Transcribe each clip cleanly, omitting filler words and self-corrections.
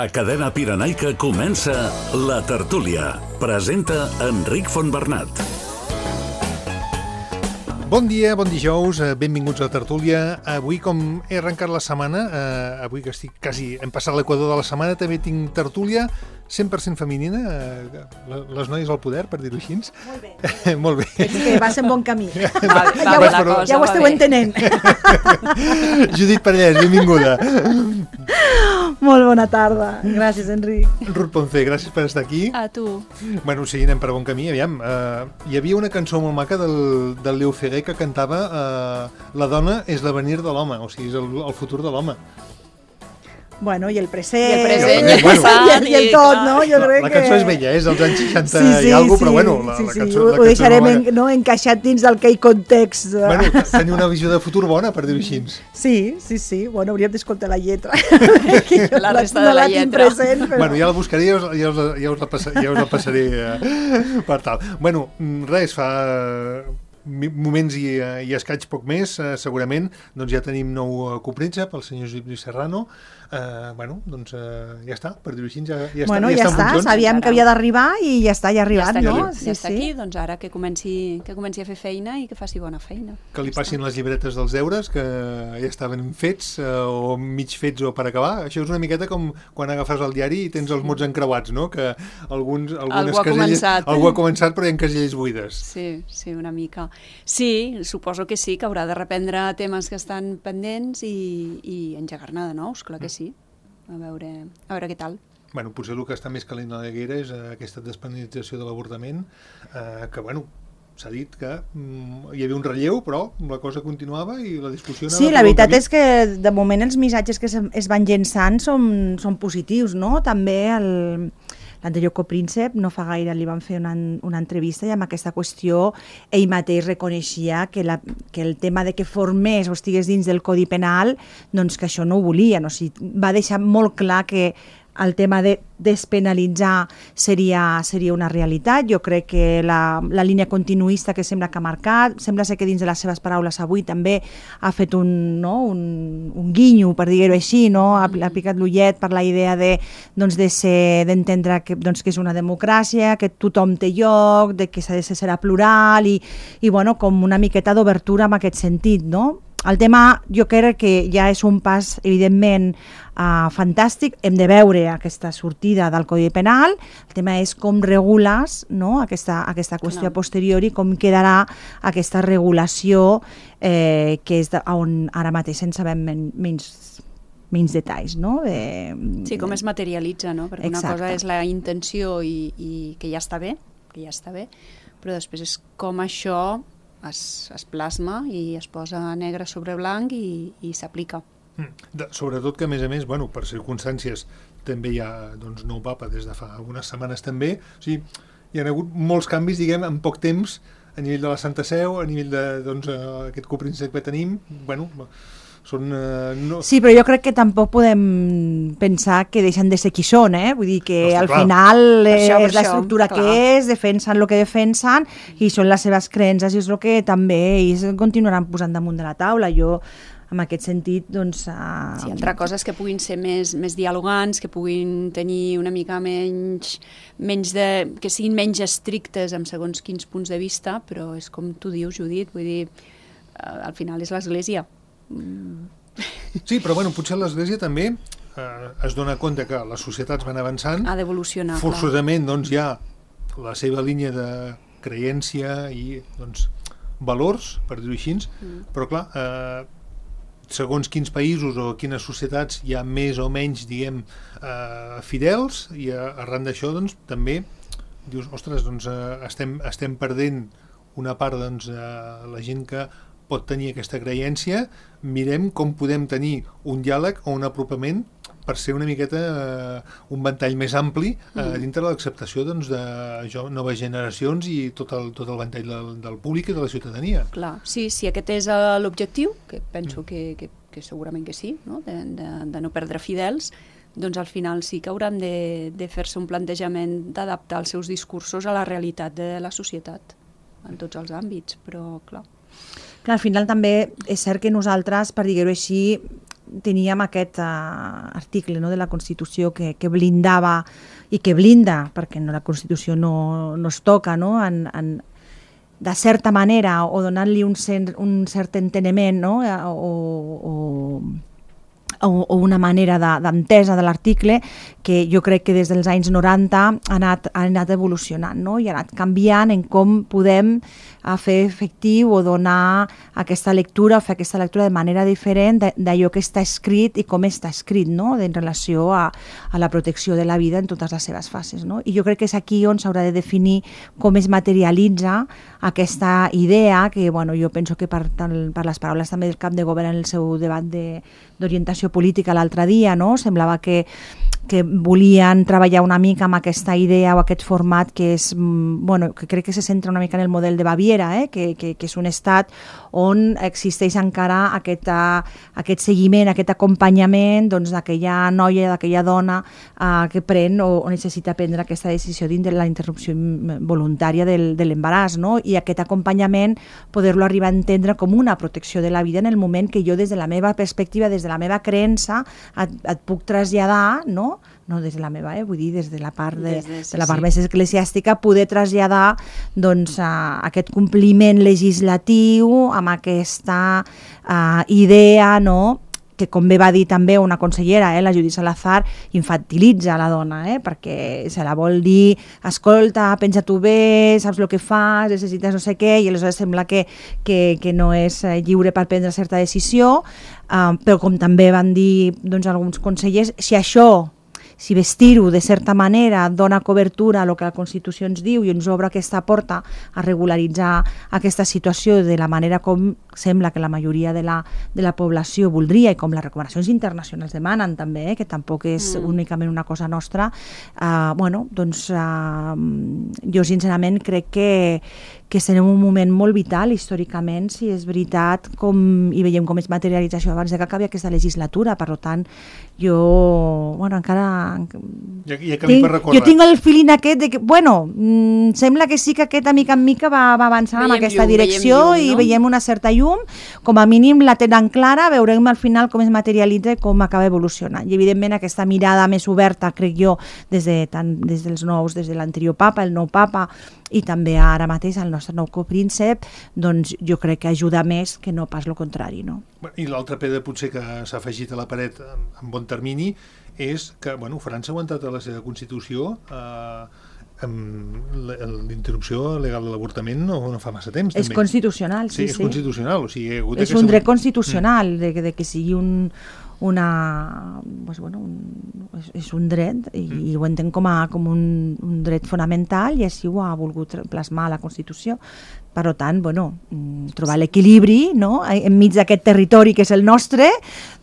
A Cadena Pirenaica comença La Tertúlia. Presenta Enric Fontbernat. Bon dia, bon dijous, benvinguts a La Tertúlia. Avui, com he arrencat la setmana, avui que estic quasi hem passat l'equador de la setmana, també tinc tertúlia 100% femenina, les noies al poder, per dir-ho així. Molt bé. Molt bé. Que vas en bon camí. Ja ho esteu entenent. Judit Parellès, benvinguda. Molt bona tarda. Gràcies, Enric. Ruth Ponce, gràcies per estar aquí. A tu. Bueno, sí, anem per bon camí, aviam. Hi havia una cançó molt maca del Leo Ferrer que cantava La dona és l'avenir de l'home, o sigui, és el futur de l'home. Bueno, i el present. I el present, i el passat, i el tot, no? Jo crec la cançó és vella, és dels anys 60 i alguna cosa, però bueno, la cançó... Ho deixarem encaixat dins d'aquell context. Bueno, tenir una visió de futur bona, per dir-ho així. Sí. Bueno, hauríem d'escoltar la lletra. La resta de la lletra. Present, però... Bueno, ja la buscaré i ja us la passaré per tal. Bueno, res, fa moments i escaig poc més, segurament, doncs ja tenim nou copríncep, el senyor Josep Lluís Serrano. Bueno, doncs ja està, per dir-ho així, ja està, sabíem que havia d'arribar i ja està, ja ha arribat, no? Ja està aquí, doncs ara que comenci a fer feina i que faci bona feina. Que li passin les llibretes dels deures, que ja estaven fets o mig fets o per acabar. Això és una miqueta com quan agafes el diari i tens els mots encreuats, no? Que algunes caselles... Algú ha començat, però hi ha caselles buides. Sí, una mica. Sí, suposo que sí, que haurà de reprendre temes que estan pendents i engegar-ne de nous, clar que sí. A veure què tal. Bueno, potser el que està més calent a la guerra és aquesta despenalització de l'avortament, que, bueno, s'ha dit que hi havia un relleu, però la cosa continuava i la discussió anava... Sí, la veritat és que de moment els missatges que es van llençant són positius, no? També l'anterior copríncep, no fa gaire li van fer una entrevista i amb aquesta qüestió ell mateix reconeixia que el tema de que formés o estigués dins del Codi Penal, doncs que això no ho volien. O sigui, va deixar molt clar que el tema de despenalitzar seria una realitat. Jo crec que la línia continuista que sembla que ha marcat, sembla ser que dins de les seves paraules avui també ha fet un guinyo, per dir-ho així, no? Ha picat l'ullet per la idea d'entendre que és una democràcia, que tothom té lloc, que serà plural i bueno, com una miqueta d'obertura en aquest sentit, no? El tema jo crec que ja és un pas evidentment fantàstic, hem de veure aquesta sortida del Codi Penal, el tema és com regules, no? aquesta qüestió a posteriori, com quedarà aquesta regulació que és on ara mateix en sabem menys detalls, no? Sí, com es materialitza, no? Perquè una cosa és la intenció i que ja està bé, però després és com això es plasma i es posa negre sobre blanc i s'aplica. Sobretot que, a més, bueno, per circumstàncies també hi ha nou papa des de fa algunes setmanes també, o sigui, hi ha hagut molts canvis, diguem, en poc temps, a nivell de la Santa Seu, a nivell d'aquest copríncep que tenim, bueno... Sí, però jo crec que tampoc podem pensar que deixen de ser qui són, vull dir que al final és l'estructura que és, defensen el que defensen i són les seves creences i és el que també ells continuaran posant damunt de la taula. Jo, en aquest sentit, doncs... Sí, altra cosa és que puguin ser més dialogants, que puguin tenir una mica que siguin menys estrictes en segons quins punts de vista, però és com tu dius, Judit, vull dir, al final és l'Església. Sí, però bueno, potser l'Església també es dona compte que les societats van avançant, ha d'evolucionar, forçosament doncs, hi ha la seva línia de creència i valors, per dir-ho així, però clar, segons quins països o quines societats hi ha més o menys, diguem, fidels, i arran d'això doncs, també dius, ostres, doncs, estem perdent una part de la gent que pot tenir aquesta creença, mirem com podem tenir un diàleg o un apropament per ser una miqueta un ventall més ampli dintre de l'acceptació de noves generacions i tot el ventall del públic i de la ciutadania. Clar, sí, si aquest és l'objectiu, que penso que segurament que sí, no? De no perdre fidels, doncs al final sí que hauran de fer-se un plantejament d'adaptar els seus discursos a la realitat de la societat, en tots els àmbits, però clar... Al final també és cert que nosaltres, per dir-ho així, teníem aquest article, no?, de la Constitució que blindava i que blinda, perquè la Constitució no es toca, no?, de certa manera, o donant-li un cert enteniment, no?, o una manera d'entesa de l'article que jo crec que des dels anys 90 ha anat evolucionant, no?, i ha anat canviant en com podem fer efectiu o donar aquesta lectura, o fer aquesta lectura de manera diferent d'allò que està escrit i com està escrit, no?, en relació a la protecció de la vida en totes les seves fases, no? I jo crec que és aquí on s'haurà de definir com es materialitza aquesta idea que, bueno, jo penso que per les paraules també del cap de govern en el seu debat d'orientació política l'altre dia, no?, semblava que volien treballar una mica amb aquesta idea o aquest format que és, bueno, que crec que se centra una mica en el model de Baviera, que és un estat on existeix encara aquest seguiment, aquest acompanyament, doncs, d'aquella noia, d'aquella dona que pren o necessita prendre aquesta decisió de la interrupció voluntària de l'embaràs, no?, i aquest acompanyament poder-lo arribar a entendre com una protecció de la vida en el moment que jo, des de la meva perspectiva, des de la meva creença, et puc traslladar, no des de la meva, vull dir, des de la part la part més eclesiàstica, poder traslladar, doncs, aquest compliment legislatiu amb aquesta idea, no?, que, com bé va dir també una consellera, la Judit Salazar, infantilitza la dona, perquè se la vol dir, escolta, pensa tu bé, saps el que fas, necessites no sé què, i aleshores sembla que no és lliure per prendre certa decisió, però com també van dir, doncs, alguns consellers, si vestir-ho de certa manera dona cobertura a el que la Constitució ens diu i ens obre aquesta porta a regularitzar aquesta situació de la manera com sembla que la majoria de la població voldria i com les recomanacions internacionals demanen també, que tampoc és únicament una cosa nostra, bueno, doncs jo sincerament crec que estem en un moment molt vital històricament, si és veritat, i veiem com és materialització abans que acabi aquesta legislatura. Per tant, jo, bueno, encara... Jo tinc el feeling aquest de que, bueno, sembla que sí que aquest a mica en mica va avançant en aquesta direcció i veiem una certa llum, com a mínim la tenen clara, veurem al final com es materialitza i com acaba evolucionant. I evidentment aquesta mirada més oberta, crec jo, des dels nous, des de l'anterior papa, el nou papa, i també ara mateix el nostre nou copríncep, doncs jo crec que ajuda més que no pas el contrari, no? I l'altra pedra potser que s'ha afegit a la paret en bon termini és que, bueno, França ha aguantat a la seva Constitució amb l'interrupció legal de l'avortament no fa massa temps. És constitucional, sí. És constitucional, o sigui... És un dret constitucional, de que sigui és un dret i ho entenc com un dret fonamental i així ho ha volgut plasmar a la Constitució. Per tant, bueno, trobar l'equilibri, no?, enmig d'aquest territori que és el nostre,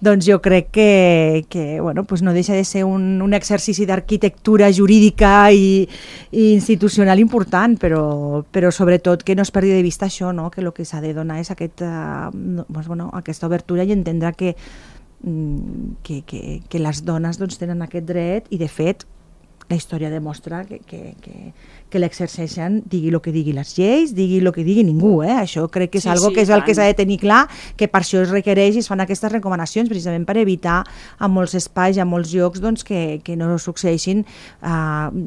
doncs jo crec que bueno, pues no deixa de ser un exercici d'arquitectura jurídica i institucional important, però sobretot que no es perdi de vista això, no?, que el que s'ha de donar és aquesta obertura i entendre que les dones doncs, tenen aquest dret i, de fet, la història demostra que l'exerceixen, digui el que digui les lleis, digui el que digui ningú. Això crec que és algo que és el que s'ha de tenir clar, que per això es requereix i es fan aquestes recomanacions, precisament per evitar a molts espais i a molts llocs doncs, que no succeeixin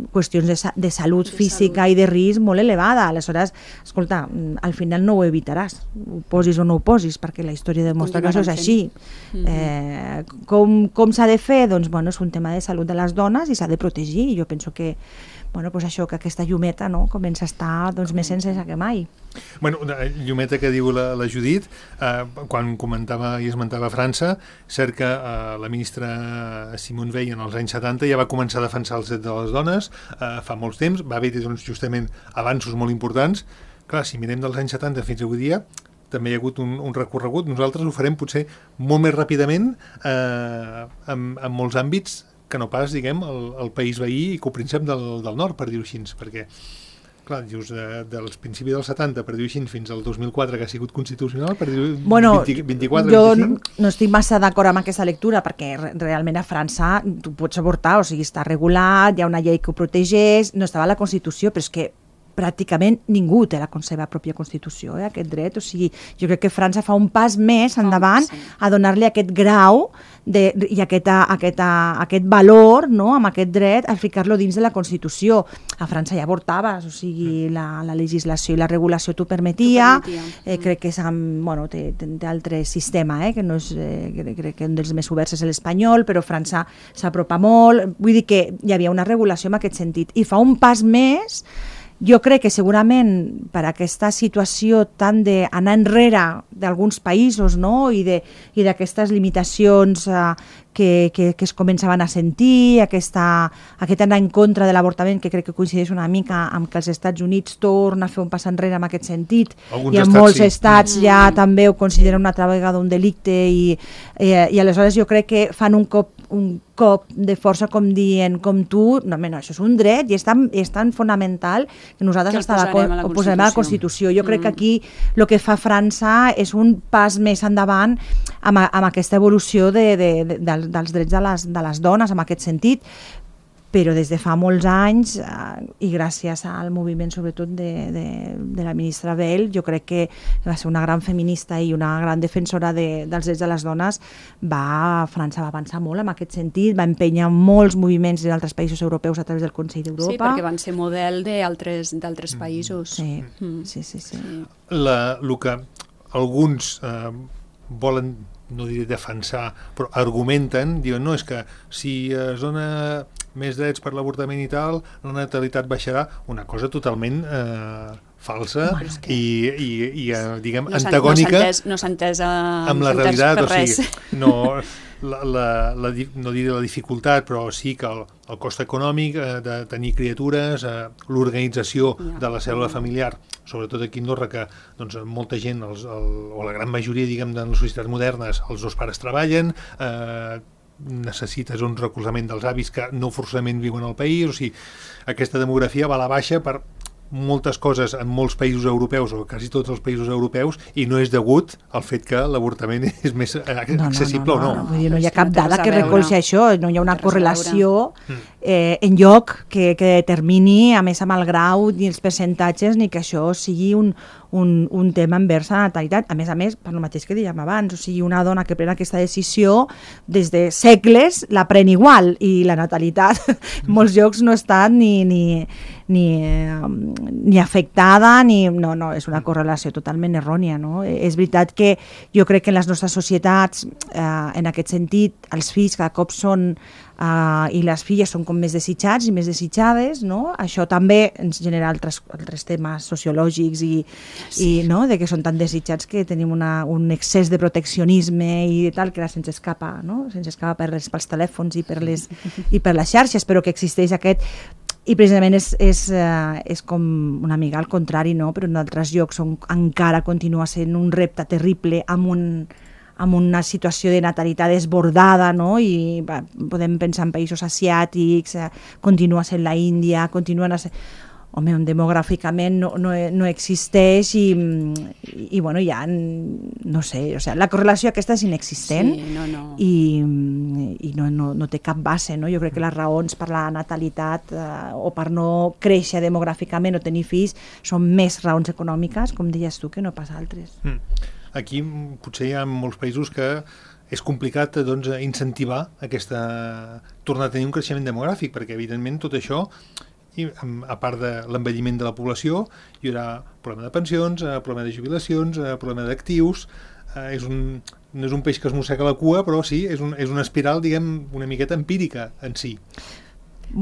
qüestions de salut física i de risc molt elevada. Aleshores, escolta, al final no ho evitaràs, ho posis o no ho posis, perquè la història demostra que això és així. Com s'ha de fer? Doncs, bueno, és un tema de salut de les dones i s'ha de protegir. I jo penso que això, que aquesta llumeta comença a estar més encesa que mai. Bueno, llumeta que diu la Judit, quan comentava i esmentava França, cert que la ministra Simone Veil en els anys 70 ja va començar a defensar els drets de les dones, fa molts temps, va haver justament avanços molt importants. Clar, si mirem dels anys 70 fins avui dia, també hi ha hagut un recorregut. Nosaltres ho farem potser molt més ràpidament en molts àmbits que no pas, diguem, el país veí i copríncep del nord, per dir-ho així, perquè, clar, just dels principis dels 70, per dir-ho així, fins al 2004, que ha sigut constitucional, per dir-ho 24, 25... Jo no estic massa d'acord amb aquesta lectura, perquè realment a França tu pots avortar, o sigui, està regulat, hi ha una llei que ho protegeix, no estava a la Constitució, però és que pràcticament ningú té la seva pròpia Constitució, aquest dret. O sigui, jo crec que França fa un pas més endavant a donar-li aquest grau i aquest valor, no?, amb aquest dret, a ficar-lo dins de la Constitució. A França ja avortaves, o sigui, la legislació i la regulació t'ho permetia. Crec que té altre sistema, que no és, crec que un dels més oberts és l'espanyol, però França s'apropa molt. Vull dir que hi havia una regulació en aquest sentit. I fa un pas més. Jo crec que segurament per aquesta situació tant d'anar enrere d'alguns països, no?, i d'aquestes limitacions que es començaven a sentir, aquest anar en contra de l'avortament, que crec que coincideix una mica amb que els Estats Units torna a fer un pas enrere en aquest sentit, i en molts estats ja també ho consideren una altra vegada un delicte, i aleshores jo crec que fan un cop de força com dient, com tu, no, això és un dret i és tan fonamental que nosaltres ho posarem a la Constitució. Jo crec que aquí el que fa França és un pas més endavant amb aquesta evolució dels drets de les dones, en aquest sentit, però des de fa molts anys, i gràcies al moviment sobretot de la ministra Veil, jo crec que va ser una gran feminista i una gran defensora dels drets de les dones, França va avançar molt en aquest sentit, va empènyer molts moviments d'altres països europeus a través del Consell d'Europa. Sí, perquè van ser model d'altres països. Sí. El que alguns volen, no diré defensar, però argumenten, diuen, no, és que si es dona més drets per l'avortament i tal, la natalitat baixarà, una cosa totalment falsa i diguem, antagònica no s'ha entès amb la realitat. O sigui, no diré la dificultat, però sí que el cost econòmic de tenir criatures, l'organització de la cèl·lula familiar, sobretot aquí a Andorra, que molta gent, o la gran majoria, diguem, de les societats modernes, els dos pares treballen, necessites un recolzament dels avis que no forçament viuen al país, o sigui, aquesta demografia va a la baixa per moltes coses en molts països europeus, o quasi tots els països europeus, i no és degut al fet que l'avortament és més accessible o no. No hi ha cap dada que recolzi això, no hi ha una correlació enlloc que determini, a més amb el grau ni els percentatges, ni que això sigui un tema envers la natalitat. A més, per el mateix que dèiem abans, o sigui, una dona que pren aquesta decisió des de segles la pren igual, i la natalitat en molts llocs no està ni afectada, no, és una correlació totalment errònia, no? És veritat que jo crec que en les nostres societats, en aquest sentit, els fills cada cop són i les filles són com més desitjats i més desitjades, no? Això també ens genera altres temes sociològics i no? De que són tan desitjats que tenim un excés de proteccionisme i tal, que ara se'ns escapa, no? Se'ns escapa pels telèfons i per les xarxes, però que existeix aquest. I precisament és com una mica al contrari, no? Però en altres llocs on encara continua sent un repte terrible amb una situació de natalitat desbordada, no? I podem pensar en països asiàtics, continua sent la Índia, continuen a ser... Home, on demogràficament no existeix i bueno, ja no sé, o sigui, la correlació aquesta és inexistent. I no té cap base, no? Jo crec que les raons per la natalitat o per no créixer demogràficament o tenir fills són més raons econòmiques, com deies tu, que no pas altres. Aquí potser hi ha molts països que és complicat incentivar tornar a tenir un creixement demogràfic, perquè evidentment tot això, i a part de l'envelliment de la població, hi haurà problema de pensions, problema de jubilacions, problema d'actius. No és un peix que es mossega la cua, però sí, és una espiral, diguem, una miqueta empírica en si.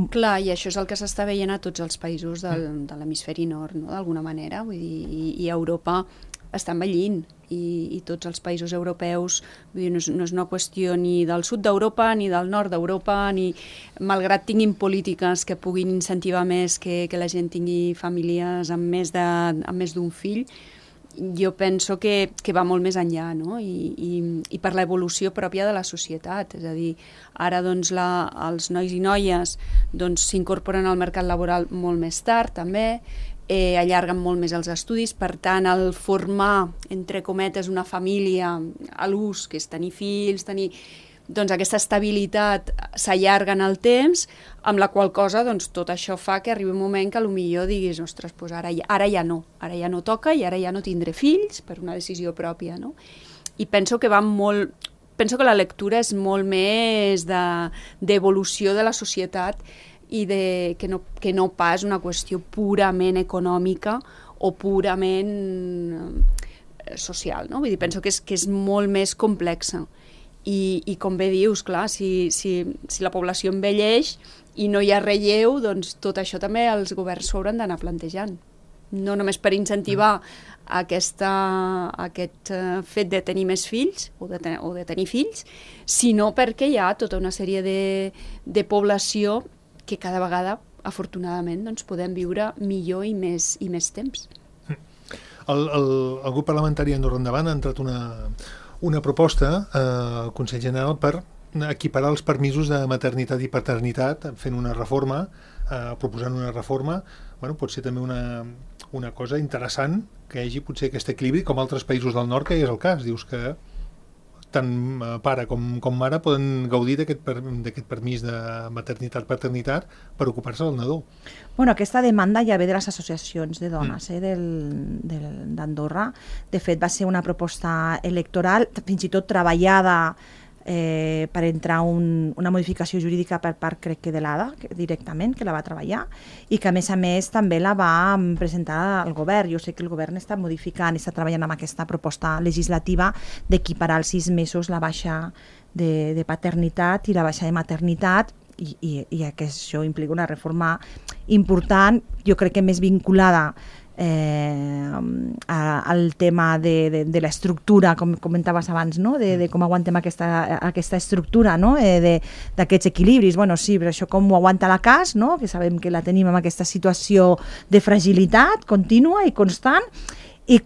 Clar, i això és el que s'està veient a tots els països de l'hemisferi nord, no? D'alguna manera, vull dir, i Europa està envellint, i tots els països europeus, vull dir, no és una qüestió ni del sud d'Europa ni del nord d'Europa, ni malgrat tinguin polítiques que puguin incentivar més que la gent tingui famílies amb més d'un fill, jo penso que va molt més enllà, no? I per l'evolució pròpia de la societat, és a dir, ara doncs els nois i noies s'incorporen al mercat laboral molt més tard també, allarguen molt més els estudis, per tant el formar, entre cometes, una família a l'ús, que és tenir fills, doncs aquesta estabilitat s'allarga en el temps, amb la qual cosa doncs, tot això fa que arribi un moment que potser diguis, ostres, doncs ara ja no toca i ara ja no tindré fills per una decisió pròpia, no? I penso que penso que la lectura és molt més d'evolució de la societat i que no pas una qüestió purament econòmica o purament social, no? Vull dir, penso que és molt més complexa. I com bé dius, clar, si la població envelleix i no hi ha relleu, doncs tot això també els governs s'ho hauran d'anar plantejant. No només per incentivar aquest fet de tenir més fills o de tenir fills, sinó perquè hi ha tota una sèrie de població que cada vegada, afortunadament, doncs, podem viure millor i més temps. El grup parlamentari Andorra Endavant ha entrat una proposta al Consell General per equiparar els permisos de maternitat i paternitat, fent una reforma, proposant una reforma. Bueno, pot ser també una cosa interessant que hi hagi potser aquest equilibri, com altres països del nord, que hi és el cas. Dius que tant pare com mare poden gaudir d'aquest permís de maternitat-paternitat per ocupar-se del nadó. Bueno, aquesta demanda ja ve de les associacions de dones d'Andorra. De fet, va ser una proposta electoral, fins i tot treballada per entrar una modificació jurídica per part, crec que de l'ADA, directament, que la va treballar, i que a més també la va presentar al govern. Jo sé que el govern està modificant i està treballant amb aquesta proposta legislativa d'equiparar als 6 mesos la baixa de paternitat i la baixa de maternitat, i que això implica una reforma important, jo crec que més vinculada al tema de l'estructura, com comentaves abans, no? de com aguantem aquesta estructura, no? D'aquests equilibris. Bueno, sí, però això com ho aguanta la CAS, no? Que sabem que la tenim en aquesta situació de fragilitat contínua i constant, i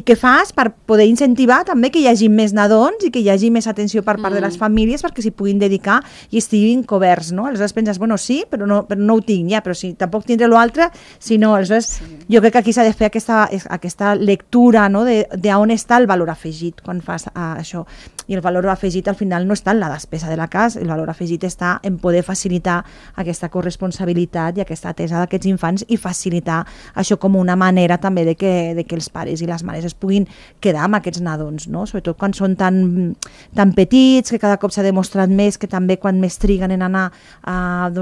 què fas per poder incentivar també que hi hagi més nadons i que hi hagi més atenció per part de les famílies perquè s'hi puguin dedicar i estiguin coberts, no? Aleshores penses, bueno, sí, però no ho tinc, ja, però si tampoc tindré l'altre, si no, aleshores jo crec que aquí s'ha de fer aquesta lectura, no? d'on està el valor afegit quan fas això. I el valor afegit al final no està en la despesa de la casa, el valor afegit està en poder facilitar aquesta corresponsabilitat i aquesta atesa d'aquests infants i facilitar això com una manera també de que els pares i les mares es puguin quedar amb aquests nadons, no? Sobretot quan són tan petits, que cada cop s'ha demostrat més que també quan més triguen en anar a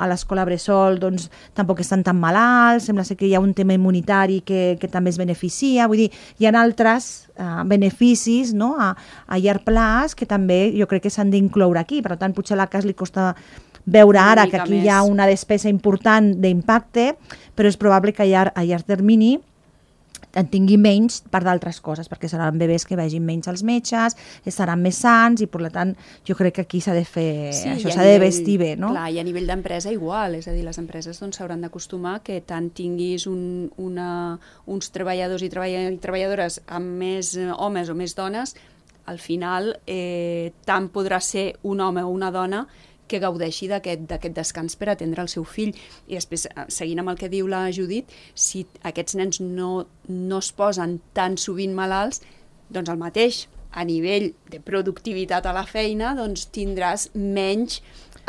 l'escola bressol doncs tampoc estan tan malalts, sembla ser que hi ha un tema immunitari que també es beneficia, vull dir, hi ha altres beneficis, no? a llarg plaç que també jo crec que s'han d'incloure aquí, per tant potser a la CAS li costa veure ara que aquí hi ha una despesa important d'impacte, però és probable que a llarg termini en tingui menys per d'altres coses, perquè seran bebès que vagin menys als metges, estaran més sants i per tant jo crec que aquí s'ha de fer això, s'ha de vestir bé, no? Clar, i a nivell d'empresa igual, és a dir, les empreses s'hauran d'acostumar que tant tinguis uns treballadors i treballadores amb més homes o més dones, al final tant podrà ser un home o una dona que gaudeixi d'aquest descans per atendre el seu fill. I després, seguint amb el que diu la Judit, si aquests nens no es posen tan sovint malalts, doncs el mateix, a nivell de productivitat a la feina, doncs tindràs menys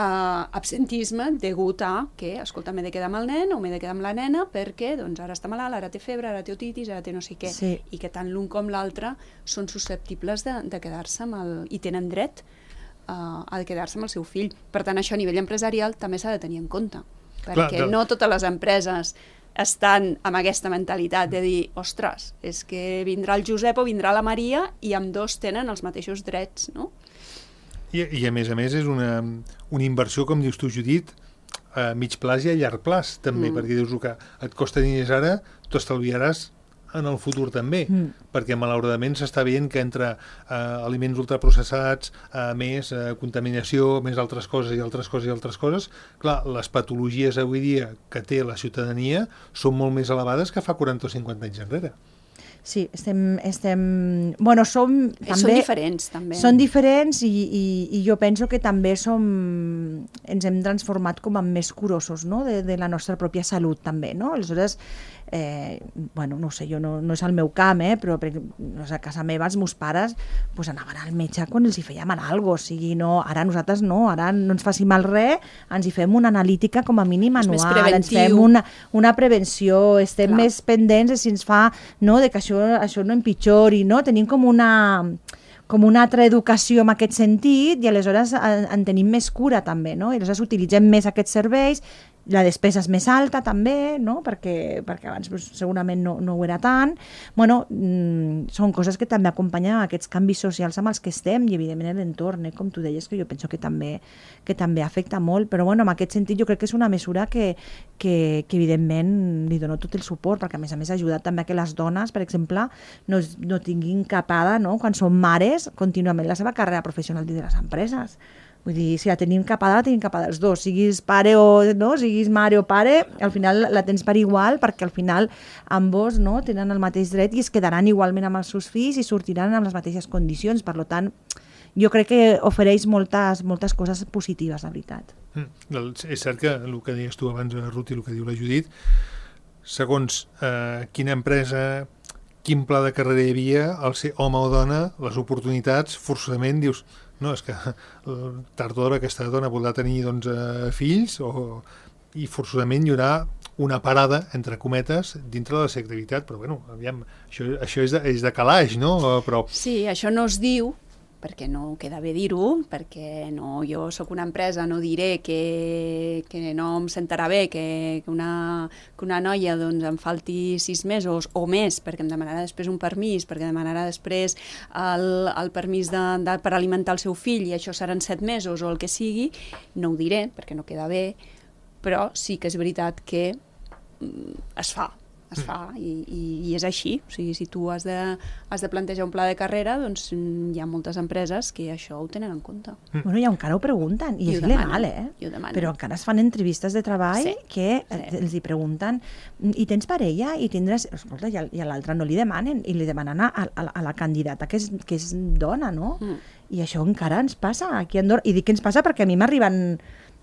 absentisme degut a que, escolta, m'he de quedar amb el nen o m'he de quedar amb la nena perquè doncs, ara està malalt, ara té febre, ara té otitis, ara té no sé què. Sí. I que tant l'un com l'altre són susceptibles de quedar-se i tenen dret a quedar-se amb el seu fill. Per tant, això a nivell empresarial també s'ha de tenir en compte, perquè no totes les empreses estan amb aquesta mentalitat de dir, ostres, és que vindrà el Josep o vindrà la Maria i ambdós tenen els mateixos drets, no? I a més és una inversió, com dius tu, Judit, a mig plaç i a llarg plaç també, perquè dius que et costa diners ara, t'ho estalviaràs en el futur també, perquè malauradament s'està veient que entre aliments ultraprocessats, més contaminació, més altres coses i altres coses, clar, les patologies avui dia que té la ciutadania són molt més elevades que fa 40 o 50 anys enrere. Sí, bueno, som també... Són diferents, també. Són diferents i jo penso que també ens hem transformat com a més curosos, no?, de la nostra pròpia salut, també, no? Aleshores, bueno, no sé, no és el meu camp, però a casa meva els meus pares pues, anaven al metge quan els hi feia mal alguna cosa, o sigui, no, ara nosaltres no, ara no ens faci mal res, ens hi fem una analítica com a mínim anual, ens fem una prevenció, estem més pendents de si ens fa, no, de que això no empitjori, no? Tenim com una altra educació en aquest sentit i aleshores en tenim més cura també, no? I aleshores utilitzem més aquests serveis, la despesa és més alta també, no? perquè abans segurament no ho era tant. Bueno, són coses que també acompanyen aquests canvis socials amb els que estem i evidentment l'entorn, com tu deies, que jo penso que també afecta molt, però bueno, en aquest sentit jo crec que és una mesura que evidentment li dono tot el suport, perquè a més ha ajudat també a que les dones, per exemple, no tinguin capada, no? Quan són mares, contínuament la seva carrera professional dins de les empreses. Vull dir, si la tenim capada els dos, siguis pare o no, siguis mare o pare, al final la tens per igual, perquè al final ambos, no, tenen el mateix dret i es quedaran igualment amb els seus fills i sortiran amb les mateixes condicions. Per tant, jo crec que ofereix moltes coses positives, la veritat. És cert que el que deies tu abans, Ruth, i el que diu la Judit, segons quina empresa, quin pla de carrera hi havia, el ser home o dona, les oportunitats, forçosament dius... No, és que tard o d'hora aquesta dona voldrà tenir fills i forçosament hi haurà una parada, entre cometes, dintre de la seva activitat, però bueno, aviam, això és de calaix, no? Però... Sí, això no es diu, perquè no queda bé dir-ho, perquè jo sóc una empresa, no diré que no em sentarà bé que una noia doncs, em falti 6 mesos o més, perquè em demanarà després un permís, perquè demanarà després el permís per alimentar el seu fill i això seran 7 mesos o el que sigui, no ho diré, perquè no queda bé, però sí que és veritat que es fa i és així. O sigui, si tu has de plantejar un pla de carrera, doncs hi ha moltes empreses que això ho tenen en compte. Bueno, i encara ho pregunten, i és legal, però encara es fan entrevistes de treball que els hi pregunten i tens parella? I tindràs... Escolta, i a l'altre no li demanen, i li demanen a la candidata que és dona, no? I això encara ens passa aquí a Andorra. I dic que ens passa perquè a mi m'arriben...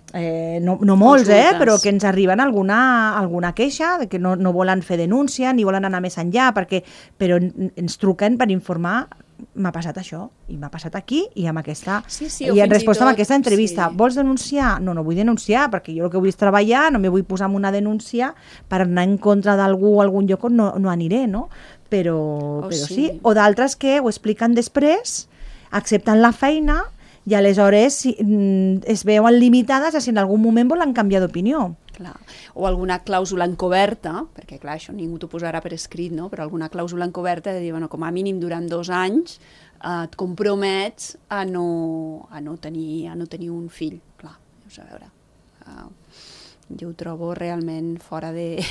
no molts, però que ens arriben alguna queixa de que no volen fer denúncia ni volen anar més enllà, però ens truquen per informar, m'ha passat això i m'ha passat aquí i amb aquesta i en resposta a aquesta entrevista, vols denunciar? No vull denunciar, perquè jo el que vull és treballar, no me vull posar en una denúncia per anar en contra d'algú o algun lloc on no aniré, no? Però sí, o d'altres que ho expliquen després, accepten la feina i aleshores es veuen limitades a si en algun moment volen canviar d'opinió. O alguna clàusula encoberta, perquè clar, això ningú t'ho posarà per escrit, no? Però alguna clàusula encoberta de dir, bueno, com a mínim durant 2 anys et compromets a no tenir un fill. Clar, a veure... jo ho trobo realment fora de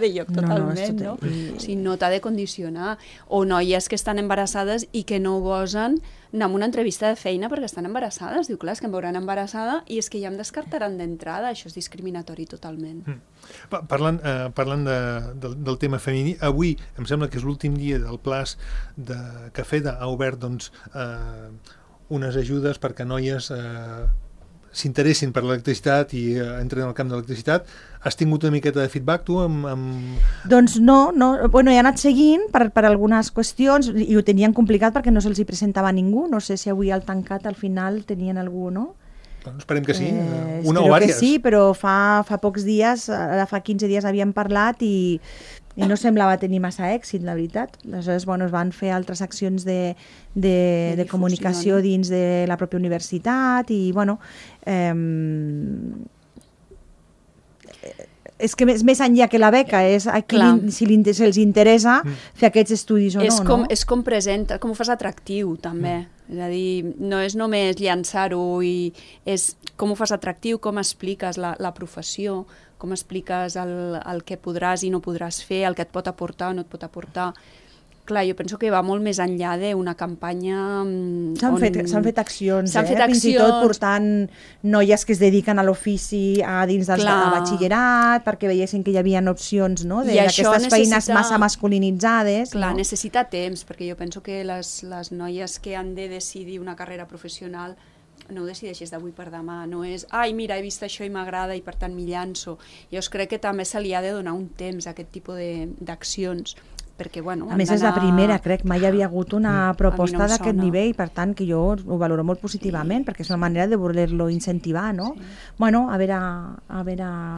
lloc totalment, no? O sigui, no t'ha de condicionar. O noies que estan embarassades i que no gosen anar a una entrevista de feina perquè estan embarassades. Diu, clar, és que em veuran embarassada i és que ja em descartaran d'entrada. Això és discriminatori totalment. Parlant del tema femení, avui em sembla que és l'últim dia del plaç que FEDA ha obert unes ajudes perquè noies s'interessin per l'electricitat i entren al camp de l'electricitat. Has tingut una miqueta de feedback, tu? Doncs no. Bueno, he anat seguint per algunes qüestions i ho tenien complicat perquè no se'ls hi presentava ningú. No sé si avui al tancat al final tenien algú, no? Doncs esperem que sí, una o diverses. Que sí, però fa pocs dies, ara fa 15 dies havíem parlat i no semblava tenir massa èxit, la veritat. Aleshores, bueno, es van fer altres accions de comunicació dins de la pròpia universitat i, bueno... és que més enllà que la beca és si els interessa fer aquests estudis o no. És com presenta, com ho fas atractiu també, és a dir, no és només llançar-ho, és com ho fas atractiu, com expliques la professió, com expliques el que podràs i no podràs fer, el que et pot aportar o no et pot aportar. Clar, jo penso que va molt més enllà d'una campanya... S'han fet accions, fins i tot portant noies que es dediquen a l'ofici dins del batxillerat, perquè veiessin que hi havia opcions, no?, d'aquestes feines massa masculinitzades. Clar, necessita temps, perquè jo penso que les noies que han de decidir una carrera professional no ho decideixes d'avui per demà, no és ai, mira, he vist això i m'agrada i per tant m'hi llanço. Jo crec que també se li ha de donar un temps a aquest tipus d'accions, perquè, bueno... A més, és la primera, crec, mai havia hagut una proposta d'aquest nivell, per tant, que jo ho valoro molt positivament, perquè és una manera de voler-lo incentivar, no? Bueno, a veure...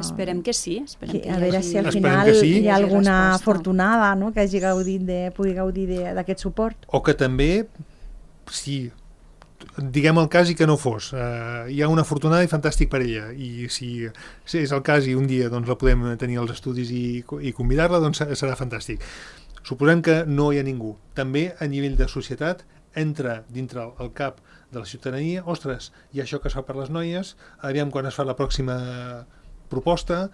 Esperem que sí. A veure si al final hi ha alguna afortunada, no?, que pugui gaudir d'aquest suport. O que també, si diguem el cas i que no fos, hi ha una afortunada i fantàstic per ella, i si és el cas i un dia doncs, la podem tenir als estudis i convidar-la, doncs serà fantàstic. Suposem que no hi ha ningú. També a nivell de societat entra dintre el cap de la ciutadania, ostres, hi ha això que es fa per les noies, aviam quan es fa la pròxima proposta,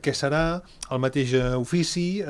que serà el mateix ofici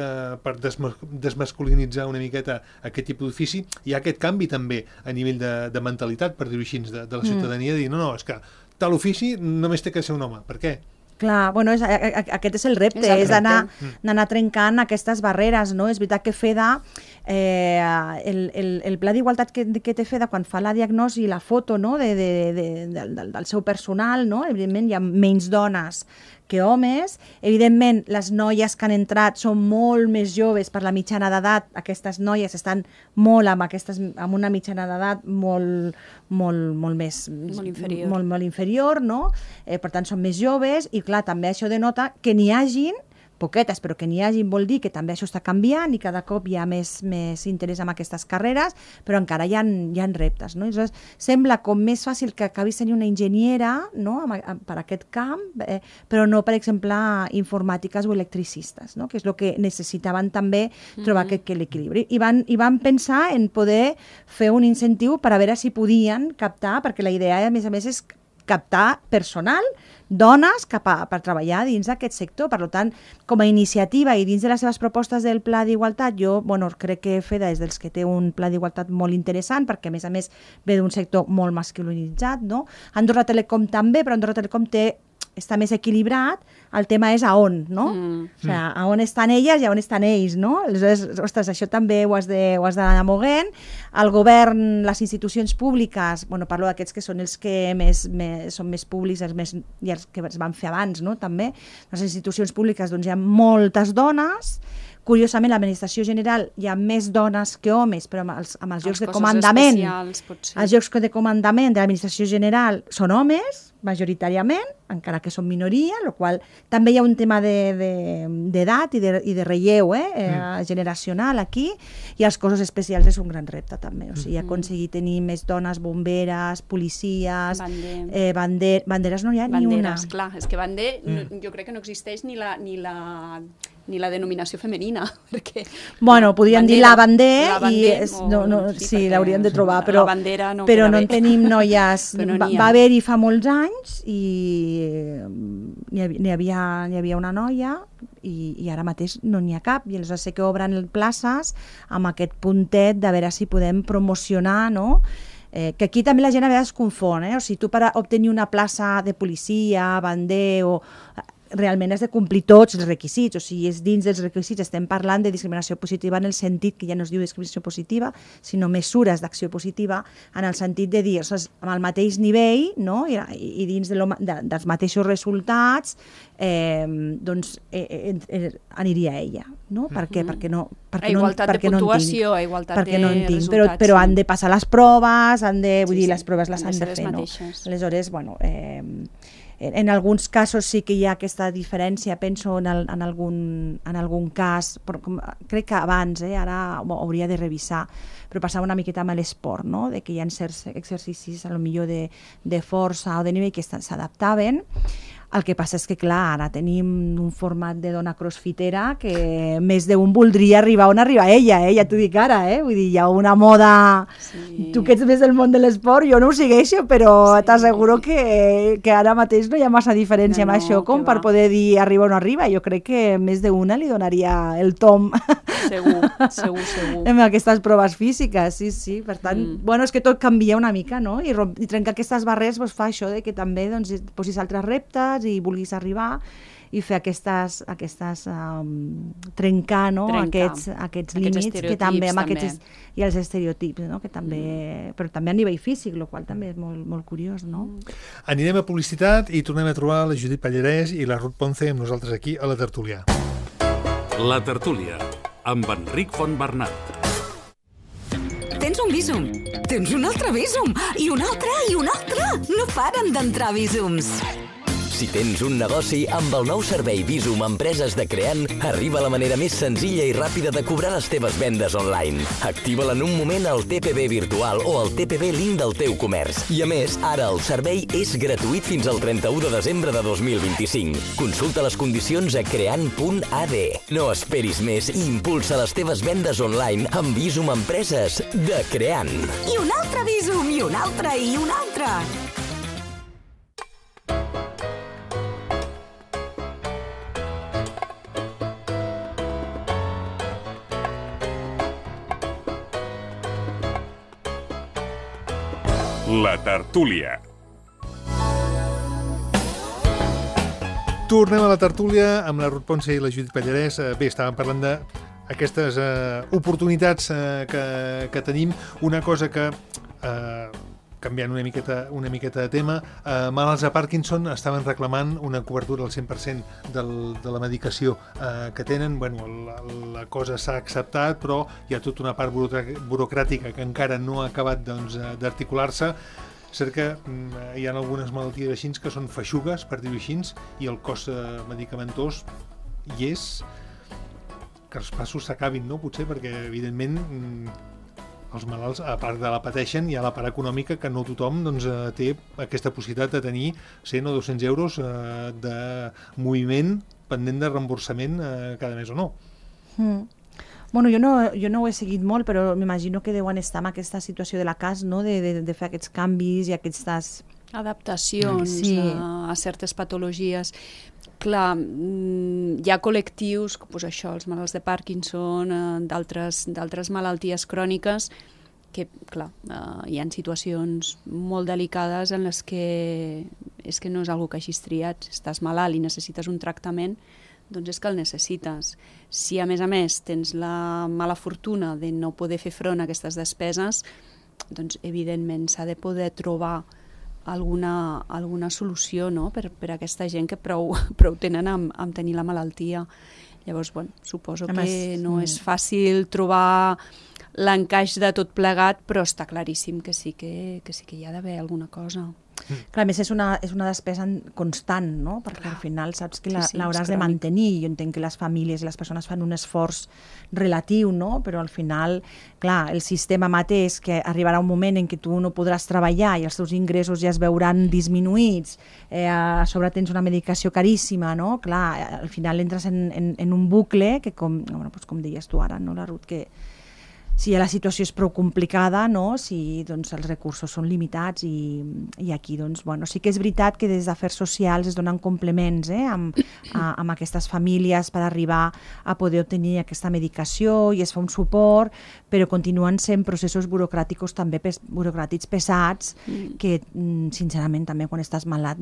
per desmasculinitzar una miqueta aquest tipus d'ofici. Hi ha aquest canvi també a nivell de mentalitat, per dir-ho així, de la ciutadania, de dir, no, és que tal ofici només té que ser un home. Per què? Clar, bueno, aquest és el repte, és d'anar trencant aquestes barreres, no? És veritat que FEDA, el pla d'igualtat que té FEDA quan fa la diagnosi i la foto, no?, del seu personal, no?, evidentment hi ha menys dones que homes, evidentment les noies que han entrat són molt més joves per la mitjana d'edat, aquestes noies estan molt amb una mitjana d'edat molt inferior, no? Per tant són més joves i clar, també això denota que n'hi hagin poquetes, però que n'hi hagin vol dir que també això està canviant i cada cop hi ha més interès en aquestes carreres, però encara hi ha reptes, no? Llavors, sembla com més fàcil que acabis tenint una enginyera, no?, per aquest camp, però no, per exemple, informàtiques o electricistes, no?, que és el que necessitaven també trobar aquest equilibri. I van pensar en poder fer un incentiu per a veure si podien captar, perquè la idea, a més, és captar personal, dones per treballar dins d'aquest sector. Per tant, com a iniciativa i dins de les seves propostes del Pla d'Igualtat, jo crec que FEDA és dels que té un Pla d'Igualtat molt interessant, perquè a més ve d'un sector molt masculinitzat, no? Andorra Telecom també, però Andorra Telecom està més equilibrat, el tema és a on, no? O sigui, a on estan elles i a on estan ells, no? Aleshores, ostres, això també ho has d'anar moguent. El govern, les institucions públiques, parlo d'aquests que són els que són més públics i els que es van fer abans, no? També, les institucions públiques, doncs hi ha moltes dones. Curiosament, a l'administració general hi ha més dones que homes, però amb els llocs de comandament, els llocs de comandament de l'administració general són homes, majoritàriament, encara que són minoria, el qual també hi ha un tema d'edat i de relleu generacional aquí, i els cossos especials és un gran repte també, o sigui, aconseguir tenir més dones, bomberes, policies, banderes no hi ha ni una. Banderes, clar, és que jo crec que no existeix ni la denominació femenina, perquè... podríem dir la bandera, sí, l'hauríem de trobar, però no en tenim noies. Va haver-hi fa molts anys i n'hi havia una noia i ara mateix no n'hi ha cap, i aleshores sé que obren places amb aquest puntet de veure si podem promocionar, no?, que aquí també la gent a vegades es confon, o sigui, tu per obtenir una plaça de policia, bander realment has de complir tots els requisits, o sigui, és dins dels requisits, estem parlant de discriminació positiva en el sentit que ja no es diu discriminació positiva, sinó mesures d'acció positiva, en el sentit de dir, amb el mateix nivell, no?, i dins dels mateixos resultats, doncs aniria ella, no? Per què? Perquè no igualtat de puntuació, igualtat de resultats. Però han de passar les proves, vull dir, les proves les han de fer, no? Aleshores, en alguns casos sí que hi ha aquesta diferència, penso en algun cas, però crec que abans, ara hauria de revisar, però passava una miqueta amb l'esport, no?, de que hi ha certs exercicis potser de força o de nivell que s'adaptaven. El que passa és que, clar, ara tenim un format de dona crossfitera que més d'un voldria arribar on arriba ella, ja t'ho dic ara, vull dir, hi ha una moda... Sí. Tu que ets més del món de l'esport, jo no ho segueixo, però t'asseguro que ara mateix no hi ha massa diferència amb això com per poder dir arriba o no arriba. Jo crec que més d'una li donaria el tom Segur. Amb aquestes proves físiques, sí. Per tant, és que tot canvia una mica, no? I trencar aquestes barreres fa això, que també posis altres reptes i vulguis arribar i fer trencar aquests límits que també amb i els estereotips, no? Que també, però també a nivell físic, el qual també és molt, molt curiós, no? Anirem a publicitat i tornem a trobar la Judit Pallarès i la Ruth Ponce amb nosaltres aquí a la tertúlia. La tertúlia, amb Enric Fontbernat. Tens un Bizum, tens un altre Bizum, i un altre, i un altre. No paren d'entrar Bizums. Si tens un negoci, amb el nou servei Bizum Empreses de Creant, arriba la manera més senzilla i ràpida de cobrar les teves vendes online. Activa-la en un moment al TPB virtual o al TPB link del teu comerç. I a més, ara el servei és gratuït fins al 31 de desembre de 2025. Consulta les condicions a creant.ad. No esperis més i impulsa les teves vendes online amb Bizum Empreses de Creant. I un altre Bizum, i un altre, i un altre. La tertúlia. Tornem a la tertúlia amb la Ruth Ponce i la Judit Pallarès. Bé, estàvem parlant d'aquestes oportunitats que tenim. Una cosa que, canviant una miqueta de tema, malalts de Parkinson estaven reclamant una cobertura al 100% de la medicació que tenen. Bueno, la cosa s'ha acceptat, però hi ha tota una part burocràtica que encara no ha acabat d'articular-se. Cert que hi ha algunes malalties així que són feixugues, per dir-ho així, i el cost medicamentós hi és. Que els passos s'acabin, no? Potser, perquè evidentment els malalts, a part de la pateixen, hi ha la part econòmica que no tothom té aquesta possibilitat de tenir 100 o 200 euros de moviment pendent de reemborsament cada mes o no. Bueno, jo no ho he seguit molt, però m'imagino que deuen estar en aquesta situació de la CAS, no? De fer aquests canvis i aquestes adaptacions a certes patologies. Clar, hi ha col·lectius, doncs això, els malalts de Parkinson, d'altres malalties cròniques, que, clar, hi ha situacions molt delicades en les que és que no és algo que hagis triat. Si estàs malalt i necessites un tractament, doncs és que el necessites. Si, a més, tens la mala fortuna de no poder fer front a aquestes despeses, doncs, evidentment, s'ha de poder trobar alguna solució, no?, per a aquesta gent que prou tenen amb tenir la malaltia. Llavors, bueno, suposo que no és fàcil trobar l'encaix de tot plegat, però està claríssim que sí que hi ha d'haver alguna cosa. Clar, a més és una despesa constant, no? Perquè al final saps que l'hauràs de mantenir. Jo entenc que les famílies i les persones fan un esforç relatiu, no? Però al final, clar, el sistema mateix, que arribarà un moment en què tu no podràs treballar i els teus ingressos ja es veuran disminuïts, a sobre tens una medicació caríssima, no? Clar, al final entres en un bucle que, com deies tu ara, no, la Ruth, que si la situació és prou complicada, no? Si els recursos són limitats i aquí sí que és veritat que des d'Afers Socials es donen complements amb aquestes famílies per arribar a poder obtenir aquesta medicació i es fa un suport, però continuen sent processos burocràtics també burocràtics pesats que sincerament també quan estàs malalt